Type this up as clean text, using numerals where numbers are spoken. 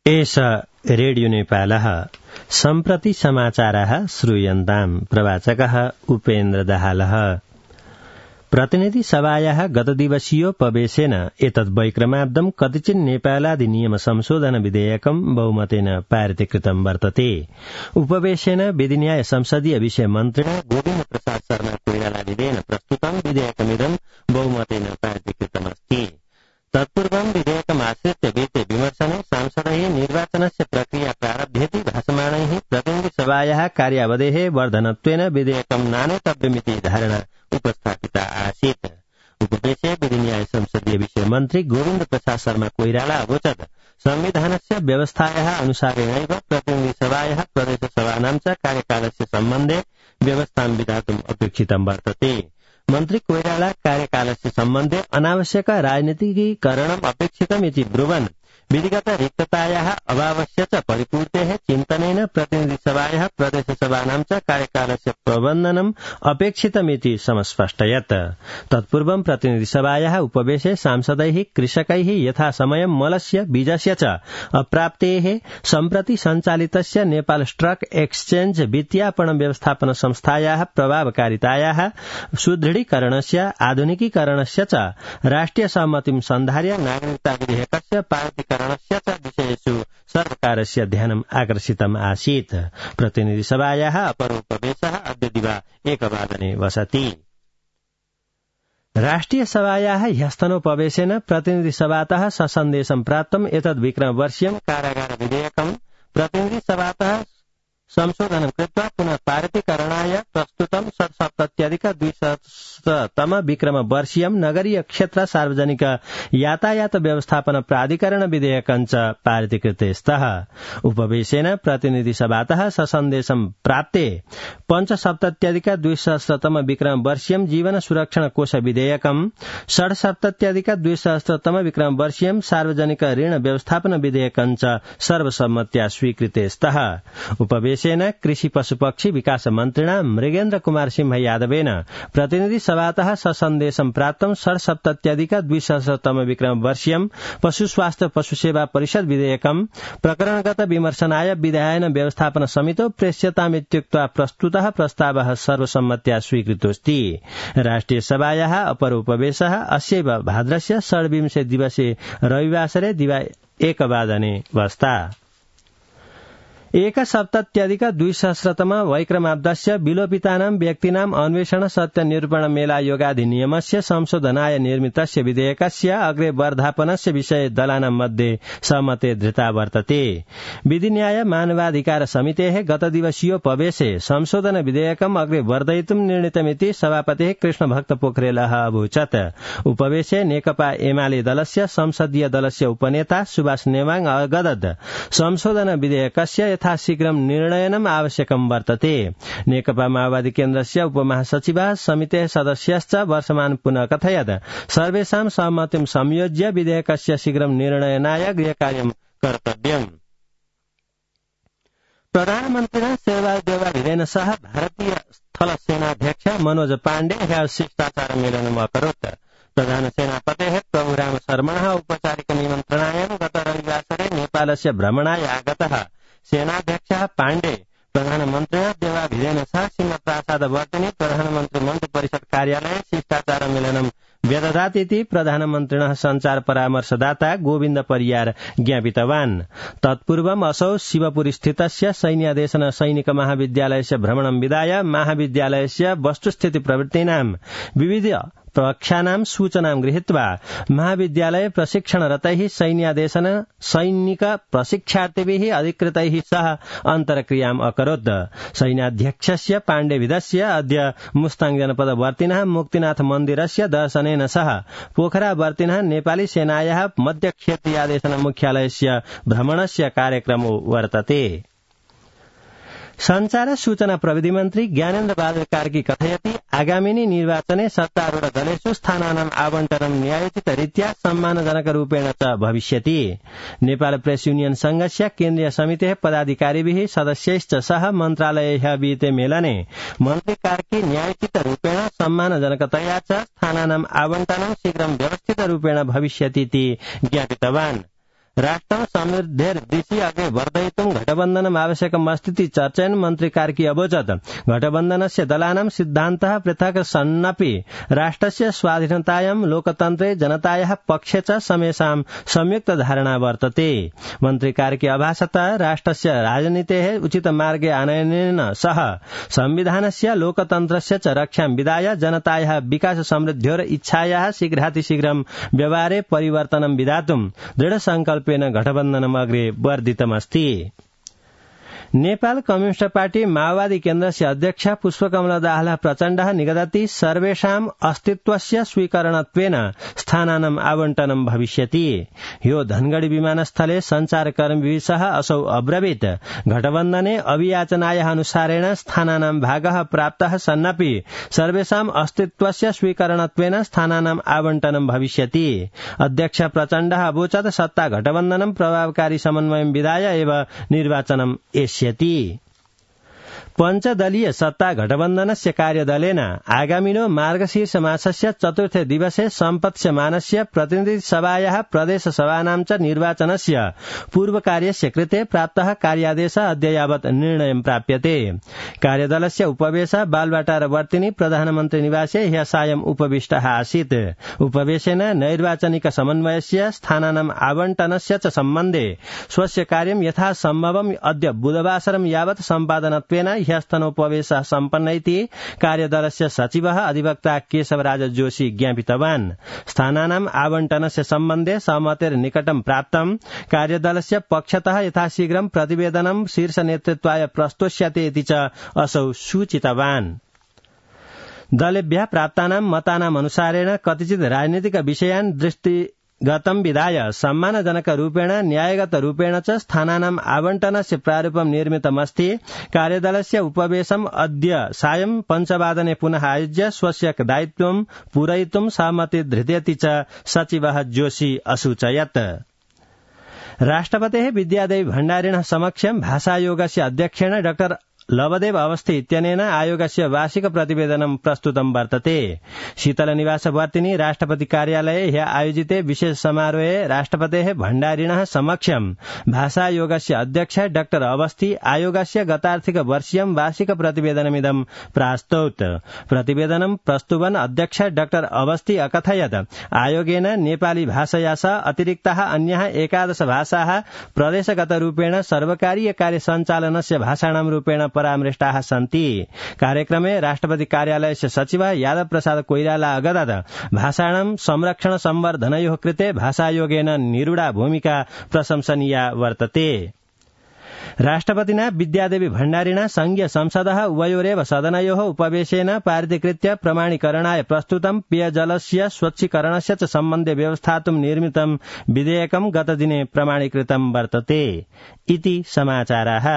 एष रेडियो नेपालः सम्प्रति समाचारः श्रूयन्ताम् प्रवाचकः उपेन्द्र दाहालः। प्रतिनिधि सभायाः गतदिवसीयोपवेशेन एतद्वैक्रमाब्दं कतिचित् नेपालाधिनियम संशोधन विधेयकं बहुमतेन पारितीकृतं वर्तते। उपवेशेन विधिन्याय संसदीय विषय मन्त्रिणा गोविन्द प्रसाद शर्मा कोइरालाविदेन प्रस्तुतं विधेयकमिदं बहुमतेन पारितीकृतमस्ति। तत्पूर्वं विधेयकमाश्रित्य वित्ते विमर्शने सांसदैः निर्वाचनस्य प्रक्रिया प्रारभ्येति भासमाणैः प्रतिनिधिसभायाः कार्यावधेः वर्धनत्वेन विधेयकं नानेतव्यमिति धारणा उपस्थापिता आसीत्। उपवेशे विधिन्याय संसदीय विषय मन्त्री गोविन्द प्रसाद शर्मा कोइराला अवोचत् संविधानस्य व्यवस्थायाः अनुसारेणैव प्रतिनिधिसभायाः प्रदेशसभानां च कार्यकालस्य सम्बन्धे व्यवस्थां विधातुम् अपेक्षितं वर्तते। मन्त्री कोइराला कार्यकालस्य सम्बन्धे अनावश्यक राजनीतिकीकरणम् अपेक्षितमिति ब्रुवन् विधिगत रिक्ततायाः अभावस्य च परिपूर्तेः चिन्तनेन प्रतिनिधिसभायाः प्रदेशसभानां च कार्यकालस्य प्रबन्धनम् अपेक्षितमिति समस्पष्टयत्। तत्पूर्वं प्रतिनिधिसभायाः उपवेशे सांसदैः कृषकैः यथासमयं मलस्य बीजस्य च अप्राप्तेः सम्प्रति सञ्चालितस्य नेपाल स्टक एक्सचेंज वित्तीयापण व्यवस्थापन संस्थायाः प्रभावकारितायाः सुदृढीकरणस्य आधुनिकीकरणस्य च राष्ट्रिय सहमतिं सन्धार्य नागरिकता विधेयकस्य पारितीकरणस्य च विषयेषु सर्वकारस्य ध्यानम् आकर्षितम् आसीत्। प्रतिनिधिसभायाः अपरोपवेशः अद्य दिवा 1:00 वसति। राष्ट्रिय सभायाः ह्यस्तनोपवेशेन प्रतिनिधिसभातः ससन्देशं प्राप्तम् एतद्विक्रमवर्षीयं कारागार विधेयकं प्रतिनिधिसभातः संशोधनं कृत्वा पुनः पारितीकरणाय प्रस्तुतं 270 विक्रमवर्षीयं नगरीय क्षेत्र सार्वजनिक यातायात व्यवस्थापन प्राधिकरण विधेयकं च पारितीकृते स्तः। उपवेशेन प्रतिनिधिसभातः ससन्देशं प्राप्ते 75 विक्रमवर्षीयं जीवन सुरक्षण कोष विधेयकं 76 विक्रमवर्षीयं सार्वजनिक ऋण व्यवस्थापन विधेयकं च सर्वसम्मत्या स्वीकृते स्तः। उपवेशेन कृषि पशुपक्षी विकास मन्त्रिणा मृगेन्द्र कुमार सिंह यादवेन प्रतिनिधि सभातः ससन्देशं प्राप्तं 77 विक्रमवर्षीयं पशु स्वास्थ्य पशु सेवा परिषद विधेयकं प्रकरणगत विमर्शनाय विधायन व्यवस्थापन समितौ प्रेष्यतामित्युक्त्वा प्रस्तुतः प्रस्तावः सर्वसम्मत्या स्वीकृतोऽस्ति। राष्ट्रिय सभायाः अपर उपवेशः अस्यैव भाद्रस्य 26 दिवसे रविवासरे दिवा 1:00 वस्ता। 1 वैक्रमाब्दस्य विलोपितानां व्यक्तीनां अन्वेषण सत्य निरूपण मेला योगाधिनियमस्य संशोधनाय निर्मितस्य विधेयकस्य अग्रे वर्धापनस्य विषये दलानां मध्ये सहमते धृता वर्तते। विधिन्याय मानवाधिकार समितेः गतदिवसीयोपवेशे संशोधन विधेयकम् अग्रे वर्धयितुं निर्णीतमिति सभापतिः कृष्णभक्त पोखरेलः अवोचत्। उपवेशे नेकपा एमाले दलस्य संसदीय दलस्य उपनेता सुभाष नेवाङ अगदद संशोधन विधेयकस्य यथाशीघ्रं निर्णयनम् आवश्यकं वर्तते। नेकपा माओवादी केन्द्रस्य उपमहासचिवः समितेः सदस्यश्च वर्षमान पुनः कथयत् सर्वेषां सहमतिं संयोज्य विधेयकस्य शीघ्रं निर्णयनाय गृहकार्यं कर्तव्यम्। प्रधानमन्त्रिणा शेरबहादुर देउवाभिरेन सह भारतीय स्थल सेनाध्यक्ष मनोज पाण्डे ह्यः शिष्टाचार मेलनम् अकरोत्। प्रधान सेनापतेः प्रभुराम शर्मणः औपचारिक निमन्त्रणायां गत रविवासरे नेपालस्य भ्रमणाय आगतः सेनाध्यक्षः पाण्डे प्रधानमन्त्रिणा देउवाभिरेन सह सिंहप्रासादवर्तिनि प्रधानमन्त्री मन्त्रिपरिषद कार्यालये शिष्टाचार मेलनं व्यदधात् इति प्रधानमन्त्रिणः सञ्चार परामर्शदाता गोविन्द परियार ज्ञापितवान्। तत्पूर्वम् असौ शिवपुरी स्थितस्य सैन्यादेशन सैनिक महाविद्यालयस्य भ्रमणं विधाय महाविद्यालयस्य वस्तुस्थिति प्रवृत्तीनां विविध प्रवक्ष्यानां सूचनां गृहीत्वा महाविद्यालये प्रशिक्षणरतैः सैन्यादेशन सैनिक प्रशिक्षार्थिभिः अधिकृतैः सह अन्तर्क्रियाम् अकरोत्। सैन्याध्यक्षस्य पाण्डेविदस्य अद्य मुस्ताङ जनपदवर्तिनः मुक्तिनाथ मन्दिरस्य दर्शनेन सह पोखरावर्तिनः नेपाली सेनायाः मध्यक्षेत्रीयादेशन मुख्यालयस्य भ्रमणस्य कार्यक्रमो वर्तते। संचार सूचना प्रविधि मन्त्री ज्ञानेन्द्र बहादुर कार्की कथयति आगामिनी निर्वाचने सत्तारूढ दलेषु स्थानानाम् आवण्टनं न्यायोचितरीत्या सम्मानजनकरूपेण च भविष्यति। नेपाल प्रेस युनियन संघस्य केन्द्रीय समितेः पदाधिकारिभिः सदस्यैश्च सह मन्त्रालये ह्यः विहिते मेलने मन्त्री कार्की न्यायोचितरूपेण सम्मानजनकतया च स्थानानाम् आवण्टनं शीघ्रं व्यवस्थितरूपेण भविष्यतीति ज्ञापितवान्। राष्ट्रं समृद्धिर्दिशि अग्रे वर्धयितुं घटबन्धनम् आवश्यकमस्तीति चर्चयन् मन्त्री कार्की अवोचत्। घटबन्धनस्य दलानां सिद्धान्तः पृथक् सन्नपि राष्ट्रस्य स्वाधीनतायां लोकतन्त्रे जनतायाः पक्षे च समेषां संयुक्त धारणा वर्तते। मन्त्री कार्की अभाषत राष्ट्रस्य राजनीतेः उचित मार्गे आनयनेन सह संविधानस्य लोकतन्त्रस्य च रक्षां विधाय जनतायाः विकास समृद्ध्योर इच्छायाः शीघ्रातिशीघ्रं व्यवहारे परिवर्तनं विधातुं दृढ संकल्पेन घटबन्धनम् अग्रे वर्धितमस्ति। नेपाल कम्युनिस्ट पार्टी माओवादी केन्द्रस्य अध्यक्ष पुष्पकमल दाहाल प्रचण्डः निगदति सर्वेषाम् अस्तित्वस्य स्वीकरणत्वेन स्थानानाम् आवण्टनं भविष्यति। ह्यो धनगढ़ी विमानस्थले संचारकर्मीभिः सह असौ अब्रवीत्। घटबन्धने अभियाचनायाः अनुसारेण स्थानानां भागः प्राप्तः सन्नपि सर्वेषाम् अस्तित्वस्य स्वीकरणत्वेन स्थानानाम् आवण्टनं भविष्यति। अध्यक्ष प्रचण्डः अवोचत् सत्ता घटबन्धनं प्रभावकारी समन्वयं विधाय एव निर्वाचनम् एष्यति। पञ्चदलीय सत्ता घटबन्धनस्य कार्यदलेन आगामिनो मार्गशीर्ष मासस्य चतुर्थे दिवसे सम्पत्स्यमानस्य प्रतिनिधि सभायाः प्रदेश सभानां च निर्वाचनस्य पूर्वकार्यस्य कृते प्राप्तः कार्यादेशः अद्य यावत् निर्णयं प्राप्यते। कार्यदलस्य उपवेश बालवाटारवर्तिनी प्रधानमन्त्री निवासे ह्यः सायं उपविष्टः आसीत्। उपवेशेन नैर्वाचनिक समन्वयस्य स्थानानाम् आवण्टनस्य च सम्बन्धे स्वस्य कार्यं यथासम्भवम् अद्य बुधवासरं यावत् सम्पादनत्वेन ह्यस्तनोपवेशः सम्पन्न इति कार्यदलस्य सचिवः अधिवक्ता केशवराज जोशी ज्ञापितवान्। स्थानानाम् आवण्टनस्य सम्बन्धे सहमतेर्निकटं प्राप्तं। कार्यदलस्य पक्षतः यथाशीघ्रं प्रतिवेदनं शीर्ष नेतृत्वाय प्रस्तोष्यते इति च असौ सूचितवान्। दलेभ्यः प्राप्तानां मतानाम् अनुसारेण कतिचित् राजनीतिक विषयान् दृष्टिगतं विधाय सम्मानजनक रूपेण न्यायगत रूपेण च स्थानानाम् आवण्टनस्य प्रारूपं निर्मितमस्ति। कार्यदलस्य उपवेशम् अद्य सायं 5 वादने पुनः आयोज्य स्वस्य दायित्वं पूरयितुं सहमति धृतेति च सचिवः जोशी असूचयत्। राष्ट्रपतेः विद्यादेवी भण्डारिणः समक्षं भाषायोगस्य अध्यक्षेण डॉ लवदेव अवस्थी इत्यनेन आयोगस्य वार्षिक प्रतिवेदनं प्रस्तुतं वर्तते। शीतलनिवासवर्तिनी राष्ट्रपति कार्यालये ह्यः आयोजिते विशेष समारोहे राष्ट्रपतेः भण्डारिणः समक्षं भाषायोगस्य अध्यक्ष डॉ अवस्थी आयोगस्य गतार्थिक वर्षीयं वार्षिक प्रतिवेदनमिदं प्रास्तौत्। प्रतिवेदनं प्रस्तुवन् अध्यक्ष डॉ अवस्थी अकथयत् आयोगेन नेपाली भाषया सह अतिरिक्ताः अन्याः 11 भाषाः प्रदेशगत रूपेण सर्वकारीय कार्य सञ्चालनस्य भाषाणां रूपेण परामृष्टाः सन्ति। कार्यक्रमे राष्ट्रपति कार्यालयस्य सचिवः यादव प्रसाद कोइराला अगदत् भाषाणां संरक्षण संवर्धनयोः कृते भाषायोगेन निरूढा भूमिका प्रशंसनीया वर्तते। राष्ट्रपतिना विद्यादेवी भण्डारिणा संघीय संसदः उभयोरेव सदनयोः उपवेशेन पारितीकृत्य प्रमाणीकरणाय प्रस्तुतं पेयजलस्य स्वच्छीकरणस्य च सम्बन्धे व्यवस्थातुं निर्मितं विधेयकं गतदिने प्रमाणीकृतं वर्तते। इति समाचाराः।